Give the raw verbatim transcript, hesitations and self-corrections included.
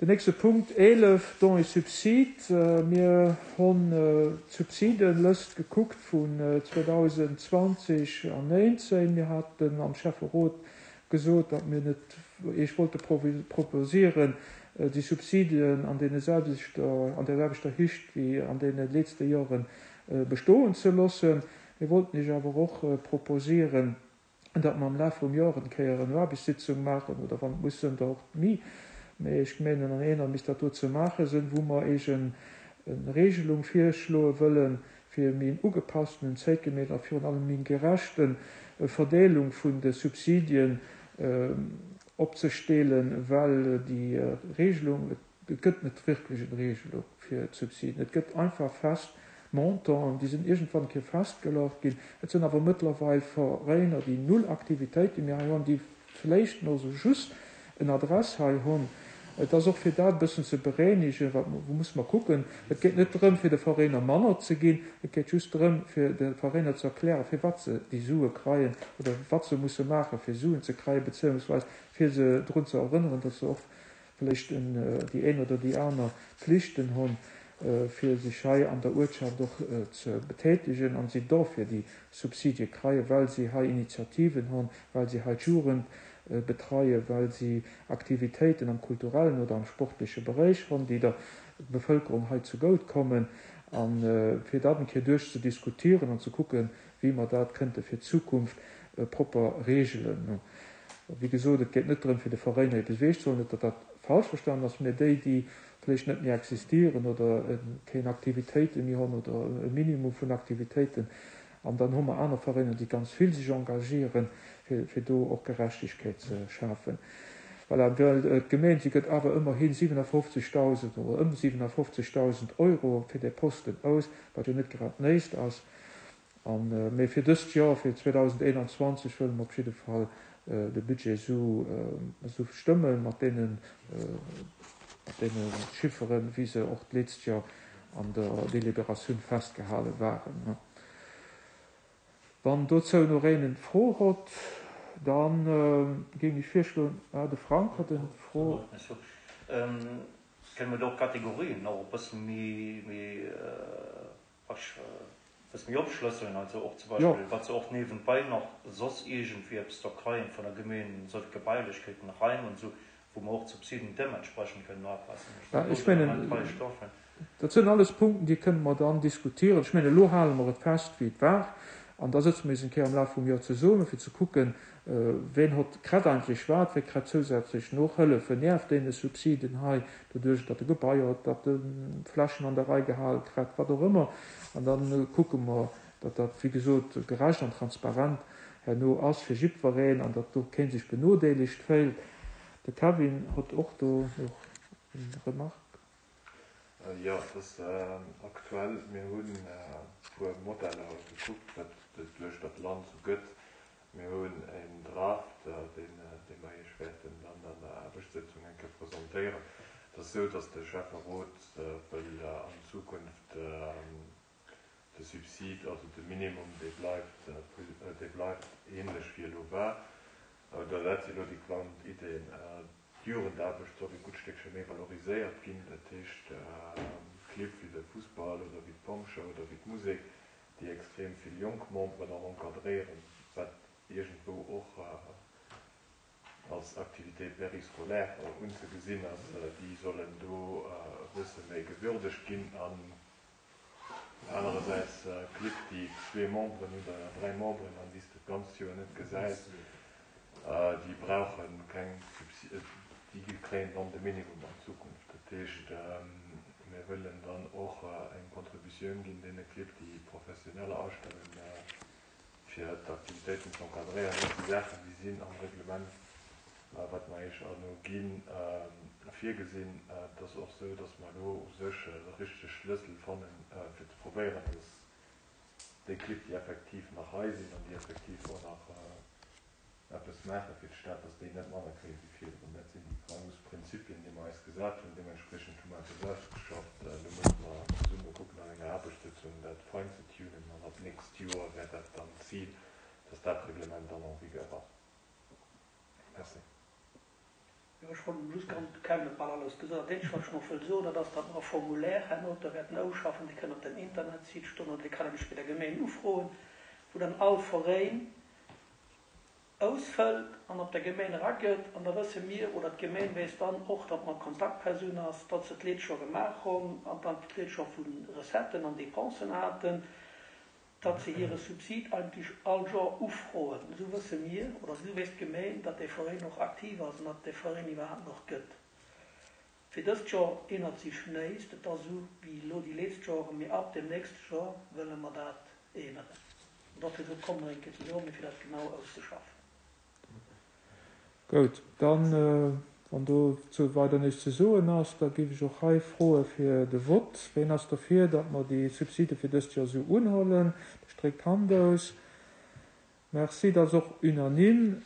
Den nächste Punkt eelef, Dons et subsides. Mir hunn d'Subsidelëscht gekuckt vun zweedausendzwanzeg an néinzéng. Mir haten am Schäfferot gesot, datt mir net Iech wollte proposieren, déi Subsidien an deene selwechter, an der selwechter Héicht wéi an deene letzte Joren bestoen ze loossen. Mir wollten Iech awer och proposieren, datt mer am Laf vum Joer eng Kéier eng Aarbechtssitzung maachen, oder wann et muss sinn, da och méi. Mee ech mengen, an enger misst dat do ze maache sinn, wou mer Iech eng Regelung virschloe wëllen, fir méi en ugepassten, zäitgemäss a virun allem méi gerechte Verdeelung vun de Subsidien opzestellen, well déi Regelung, et gëtt net wierklech eng Regelung fir d'Subsidien. Et gëtt einfach fest Montanten, déi sinn iergendwann eng Kéier festgeluecht ginn. Et sinn awer mëttlerweil Veräiner, déi null Aktivitéite méi hei hunn, déi vläicht nach esou just en Adress hei hunn. Et ass och fir dat e bëssen ze beréinigen, wat wou muss mer kucken. Et geet net drëm, fir de Veräiner manner ze ginn, et geet just drëm, fir de Veräiner ze erklären, firwat se déi Sue kreien oder wat se musse maachen, fir Suen ze kreien, beziehungsweise fir se drun ze erënneren, datt se och vläicht déi een oder déi aner Pflichten hunn, fir sech hei an der Uertschaft och ze betätigen an si dofir déi Subsidie kreien, well si hei Initiativen hunn, well si hei d'Jugend betreien, well si Aktivitéiten am kulturellen oder am sportleche Beräich hunn, déi der Bevëlkerung hei zegutt kommen. An fir dat eng Kéier duerchzediskutieren an ze kucken, wéi mer dat kënnte fir d'Zukunft propper regelen. Wéi gesot, et geet net drëm, fir de Veräiner eppes ewechzehuelen, net datt dat falsch verstanen ass, mä déi, déi vläicht net méi existieren oder keng Aktivitéite méi hunn oder e Minimum vun Aktivitéiten. An dann hu mer aner Veräiner, déi ganz vill sech engagieren, fir, fir do och Gerechtegkeet ze schafen. Voilà, well d'Gemeng, si gëtt awer ëmmerhi siewenafofzegdausend oder ëm siewenafofzegdausend Euro fir dee Posten aus, wat jo net grad näischt ass. An, mee fir dëst Joer, fir zweedausendeenanzwanzeg, wëlle mer op jidde Fall de Budget esou, esou stëmmen, mat deenen, mat deene Chifferen, wéi se och d'letzt Joer an der Deliberatioun festgehale waren. Wann dozou nach een eng Fro huet, dann géing ech virschloen, ah, de Frank huet eng Fro. Kënne mer do och Kategorien nach e bësse méi, méi, bësse méi opschlësseln, also och zum Beispill, wat se och niewenbei nach soss iergendwéi eppes da kreien vun der Gemeen, esou Gebailechkeeten, Raim und so, wou mer och d'Subsiden deementsprechend kënnen upassen. Ja, ech mengen, dat sinn alles Punkten, déi kënne mer dann diskutieren. Ech mengen, elo hale mer et fest, wéi et war. An da sëtze mer eis eng Kéier am Laf vum Joer zesummen, fir ze kucken, ween hott kritt eigentlech wat, wie kritt zousätzlech Nohëllefen nieft deene Subsiden hei, doduerch datt e Gebai huet, datt e Flächen an der Rei gehale kritt, wat och ëmmer. An da kucke mer, datt dat, wéi gesot, gerecht an transparent herno ass fir jiddwereen an datt do keen sech benodeelegt féilt. De Kevin huet och do nach eng Remarque. Jo, et ass aktuell, mir hunn e puer Modeller gekuckt, wat et duerch dat Land esou gëtt. Mir hunn en Draft, deen dee mer Iech wäerten dann an der Aarbechtssëtzung eng Kéier presentéieren. Et ass esou, datt de Schäfferot wëll an Zukunft de Subsid, also de Minimum, dee bleift, dee bleift ähnlech wéi elo war. Oder dat si elo déi geplangt Ideen. D'Jugendaarbecht soll e gutt Stéckche méi valoriséiert ginn, dat heescht Clibb wéi de Fussball oder wéi d'Pompjeeë oder wéi d'Musek, déi extrem vill jonk Memberen och encadréieren, wat iergendwou och als Activité périscolaire unzegesinn ass, déi sollen do e bësse méi gewürdegt ginn. An anerersäits Clibb, déi zwee Memberen hunn oder dräi Memberen an déi s de d'ganzt Joer net gesäis, déi brauche keng Subsid, déi kréien dann de Minimum an Zukunft. Dat heescht, mir wëllen dann och eng Contributioun ginn deene Clibb, déi Professioneller astellen, fir d'Aktivitéiten ze encadréieren. Dat si Saachen, déi sinn am Reglement, wat mer Iech herno ginn, virgesinn. Et ass och esou, datt mer elo u sech de richtege Schlëssel fannen, fir ze probéieren, datt déi Clibb, déi effektiv nach hei sinn an déi effektiv och nach eppes maache fir d'Stad, datt déi net manner kréie wéi virdrun. Dat sinn déi grouss Prinzipien, déi mer eis gesat hunn. Deementspriechend hu mer eppes ausgeschafft. Elo musse mer zesumme kucken an enger Aarbechtssëtzung dat fein ze tunen an ab nächst Joer wär dat dann d'Zil, datt dat Reglement dann en vigueur ass. Merci. Jo, ech wollt just ganz kaum net bal alles gesot. Dat eenzegt, wat ech nach wëll soen, dat ass, datt mer e Formulaire herno da wäerten ausschaffen, dee kënnt op den Internetsite stoen oder dee kann nämlech bei der Gemeen ufroen, wou dann all Veräin ausfëllt an op der Gemeen eragëtt. An da wësse mir, oder d'Gemeen weess dann och, datt mer Kontaktpersoun ass, datt se d'Leed scho gemaach hunn an dann d'Leed scho vu Recetten an Dépensen haten, datt se hire Subsid eigentlech all Joer ufroen. Esou wësse mir, oder esou weess d'Gemeen, datt dee Veräin och aktiv ass an datt et dee Veräin iwwerhaapt nach gëtt. Fir dëst Joer eenert sech näischt, et ass esou wéi elo déi letzt Joren, mee ab dem nächste Joer wëlle mer dat eeneren. An dofir esou komme mer eng Kéier zesumme fir dat genau auszeschaffen. Goud, dann, wann dozou weider näischt ze soen ass, da géif ech och hei froe fir de Vott. Ween ass derfir, datt mer déi Subside fir dëst Joer esou unhuelen? Streekt d'Hand aus. Merci, dat ass och unanime.